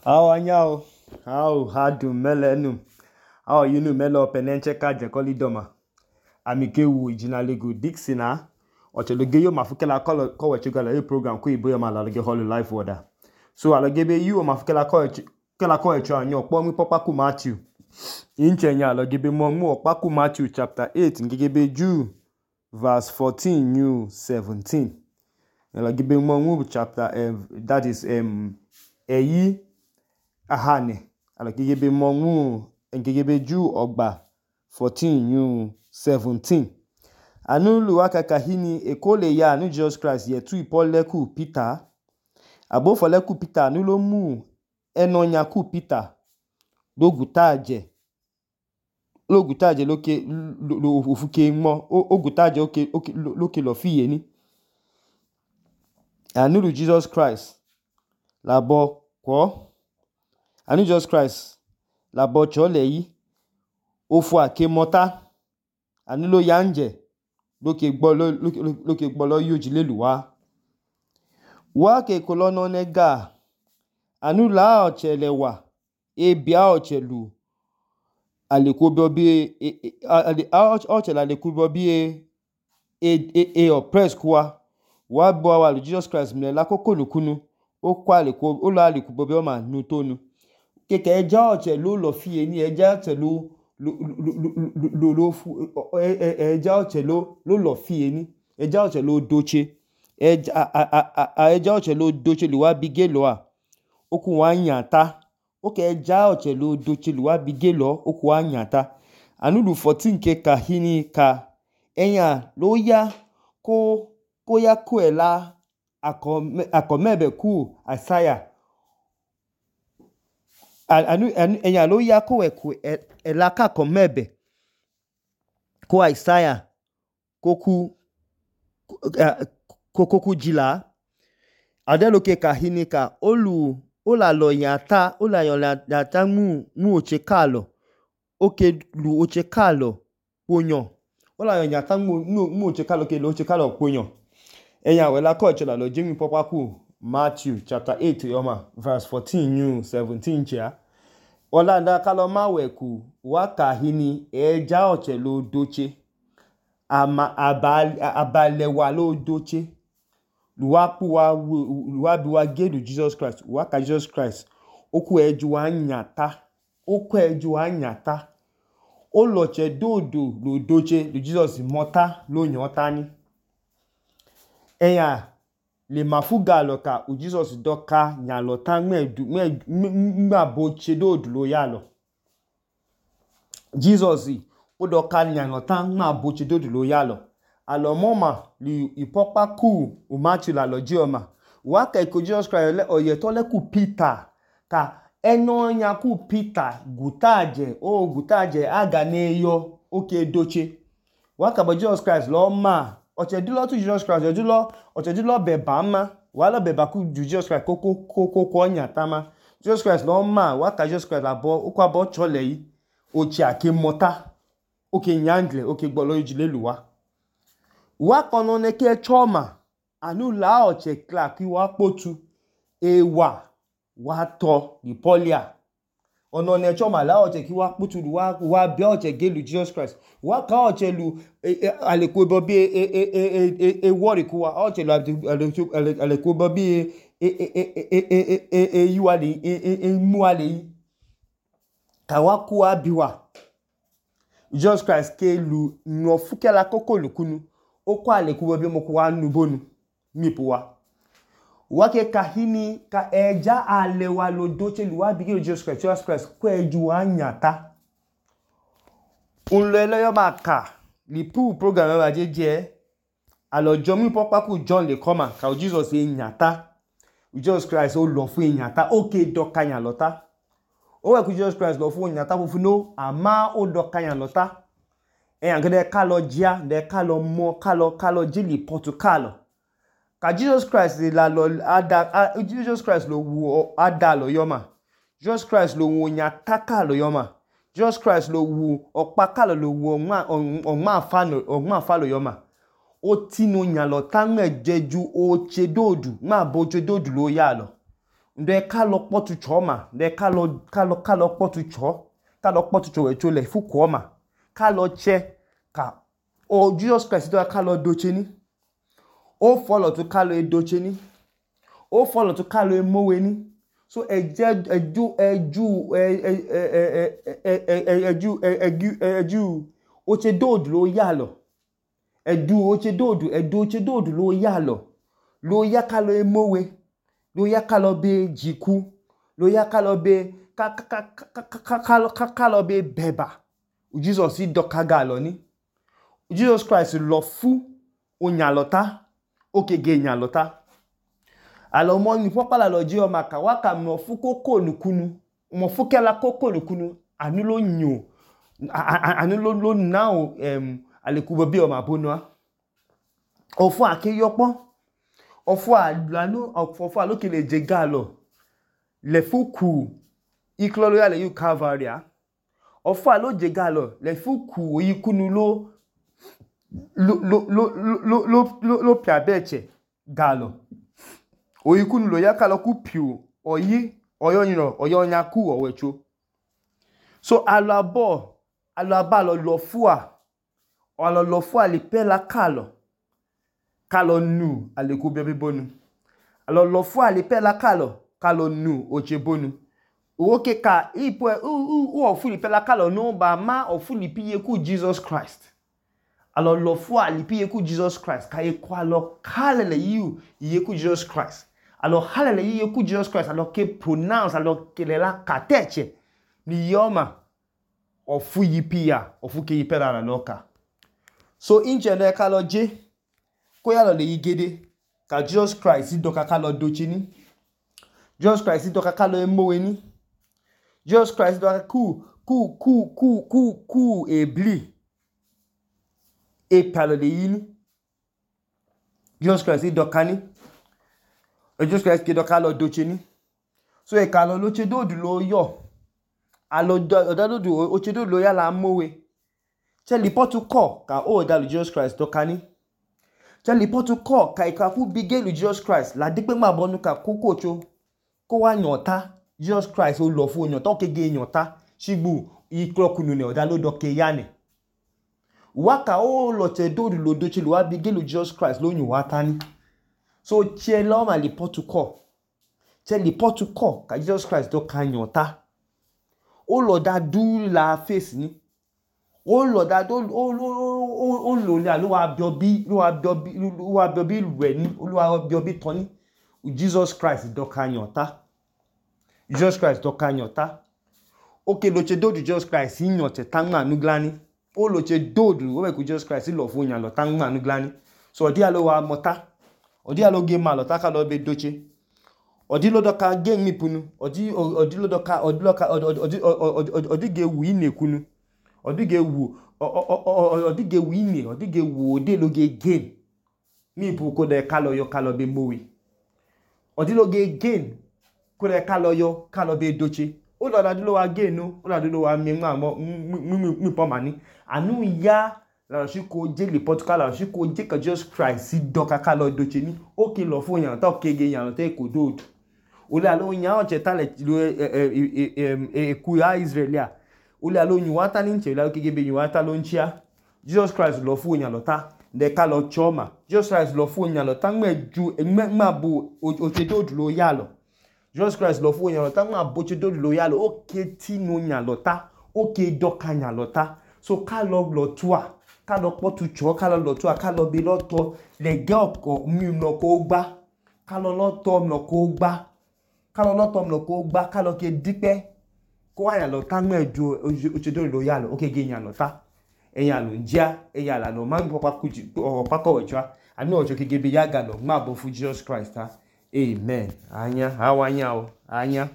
How anyao? How hadu melenu? How you know melo penenche ka jekoli doma? Amikewu ijinalego Dixina. Ocheloge yo mafukela ko wechugala e program ko ibo yo malage holy life order. So alogebe you mafukela ko echu anyo po mi popaku Matthew. Inchenya alogebe mo opaku Matthew chapter 8 ngegebe Jew verse 14 new 17. Alogebe mo chapter that is eyi ahane alogebe mo ngegebe Jew ogba 14 new 17. Anu luwaka kahini ekole ya anu Jesus Christ ye tu ipoleku Peter. Abo foleku Peter anu lo mu enonya ku Peter. Logutaje loke lo ofuke mo ogutaje loke lo fiye ni. Anu lu Jesus Christ labo ko anu Jesus Christ labo chole yi ofu ake mota anu lo yanje loke gbolo yojile luwa wa ke kolono nega anu la ochelewa ebia ochelu alekubo bi ochela alekubo bi oppress kwa wa bo wa Jesus Christ mle la kokolukunu o kwa alekubo bi o ma nutonu keke eja ochelu lo fiye ni eja ochelu eja ochelu lo fiye ni eja ochelu doche eja ochelu doche luwa bigelo a oku wa nyata oke eja ochelu doche luwa bigelo oku wa nyata anu lu 14 ke kahini ka enya lo ya ko ya ko ela akomebe ku Isaiah anu enya lo ya ko eku ela ka komebe ko Isaiah koku jila adelo ke kahini ka ola lo yata mu ochekalo oke lu ochekalo ponyo ola yo yata mu ochekalo ke lo ochekalo ponyo enya wela ko chola lo jimi popaku Matthew chapter 8 yoma verse 14 new 17 chia ola nda kalo maweku wakahini eja ochelo doche ama abalewa lo doche luwa biwa gedu Jesus Christ waka Jesus Christ oku eju anyata oloche dodo lo doche lu Jesus mota lo nyota ni eya le mafuga loka u Jesus doka nyalota ngbo chedodo lo yalo Jesus o doka nyalota ngbo chedodo lo yalo alomoma li ipopaku umachi la lojioma waka iko Jesus Christ oye to le ku Peter ka enonya ku Peter gutaje aga neyo oke doche waka bo Jesus Christ lo ma ochedulo tu Jesus Christ ochedulo beba ma wala beba ku Jesus Christ koko nyata ma Jesus Christ lo ma waka Jesus Christ abo ukwa chole yi ochi ake mota oke nyangle oke gbolo yijile luwa waka no ne ke choma anu la oche clark wa potu ewa wa to ipolia ono ne choma la oche ki wa potu wa bi oche gelu Jesus Christ wa ka oche lu alekubo bi wori ku wa oche lu alekubo bi yuale muale ka wa ku abiwa Jesus Christ ke lu no fukela kokolukunu okwa alekubo bi mo ku wa nubonu mipuwa wake kahini ka eja alewa lo doche luwa bigi Jesus Christ ko eju anyata unlele yo maka li pu program ma jeje alojo mi popaku John le koma ka Jesus e nyata Jesus Christ o lo fu nyata oke dokanya lota o we ku Jesus Christ lo fu nyata fu no ama o dokanya lota ngede kalo jia de kalo mo kalo jili portugal ka Jesus Christ la lo ada Jesus Christ lo wu ada lo yoma Jesus Christ lo wu nyata ka lo yoma Jesus Christ lo wu opa ka lo wu onma fa lo yoma o tinu nya lo ta ngejeju o chedodu ma bo chedodu lo ya lo nde kalo kpotu choma nde kalo kpotu cho wecho le fu kwoma kalo che ka o Jesus Christ do kalo doche ni o follow to kalo edoche ni o follow to kalo emowe ni so eju oche dodu lo yalo oche dodu lo yalo lo ya kalo emowe lo ya kalo be jiku lo ya kalo be kalo be beba Jesus doka galo ni Jesus Christ lo fu onyalota okege nyalota alo mo ni popala lo ji o maka waka mo fu koko nukunu mo fu kela koko nukunu anu lo nyo anu lo now alekubo bi o ma bonua ofu akeyopo ofu alo kele je galo le fu ku iklolo ya le yu Calvary ofu alo je galo le fu ku oyikunu lo pia beche galo oyikunu lo ya kalo ku piu oyo nyaku owecho so alo aba lo fu ali pela kalo nu aleku bebe bonu lo fu ali pela kalo nu oche bonu oke ka ipo ofu li pela kalo no ba ma ofu li piye ku Jesus Christ lo fu ali piye ku Jesus Christ ka ekwa lo kalele yu iye ku Jesus Christ halele iye ku Jesus Christ ke pronounce ke le la kateche ni yoma ofu yipiya ofu ke yipera na loka so inche le kalo je ko ya lo le yigede ka Jesus Christ doka kalo dochi ni Jesus Christ doka kalo emowe ni Jesus Christ doka ku ebli palo le yini Jesus Christ doka ni Jesus Christ ke doka lo dochi ni so e kalo lo che dodu lo yo alo dodu o che dodu lo ya la mowe che li potu ko ka o da Jesus Christ doka ni che li potu ko ka ikaku bigelu Jesus Christ la dipe ma bonu ka kokocho ko wa nyota Jesus Christ o lo fu nyota o kege nyota shigbu ikrokunu ne oda lo doke yane waka o lo che dodu lo dochi lo wa bigelu Jesus Christ lo nyu wata ni so che lo ma li potu ko ka Jesus Christ doka nyota o lo da du la face ni o lo da do o lo ni alo wa biobi lwe ni o lo wa biobi toni Jesus Christ doka nyota oke lo che dodu Jesus Christ nyote tangma nuglani o lo che dodu o me ku Jesus Christ lo fu nya lo tangma nuglani so odi alo wa mota odi alo ge ma lo ta ka lo be doche odi lo doka ge mipunu odi lo doka odi ge wu inekunu odi ge wu ine odi ge wu ode lo ge gain mipu ko de kalo yo kalo be mowe odi lo ge gain ko de kalo yo kalo be doche o lo da lo wa gain no o la lo wa mi ma mo mi po mani anu ya la shi ko je le portugal la shi ko je ka Jesus Christ doka kalo doche ni o ke lo fun yan ta kege yan te ko dodu o le alo yan o che ta le ku ya Israelia o le alo yin wata ni nche la kege be yin wata lo nchia Jesus Christ lo fun yan lo ta de kalo choma Jesus Christ lo fun yan lo ta meju ma bo o che dodu lo ya lo Jesus Christ lo fun yan lo ta ma bo che dodu lo ya lo o ke ti no yan lo ta o ke doka yan lo ta so kalo lo tua kalo potu cho kalo lo tua kalo be lo to le ge oko mi no ko gba kalo lo to no ko gba kalo ke dipe ko wa yan lo ta meju o che dodu lo ya lo o ke ge yan lo ta eyan lo njia eyan la no ma papa kuji o pako wecha ani ojo ke ge be ya ga lo ma bo fu Jesus Christ amen anya awanya o anya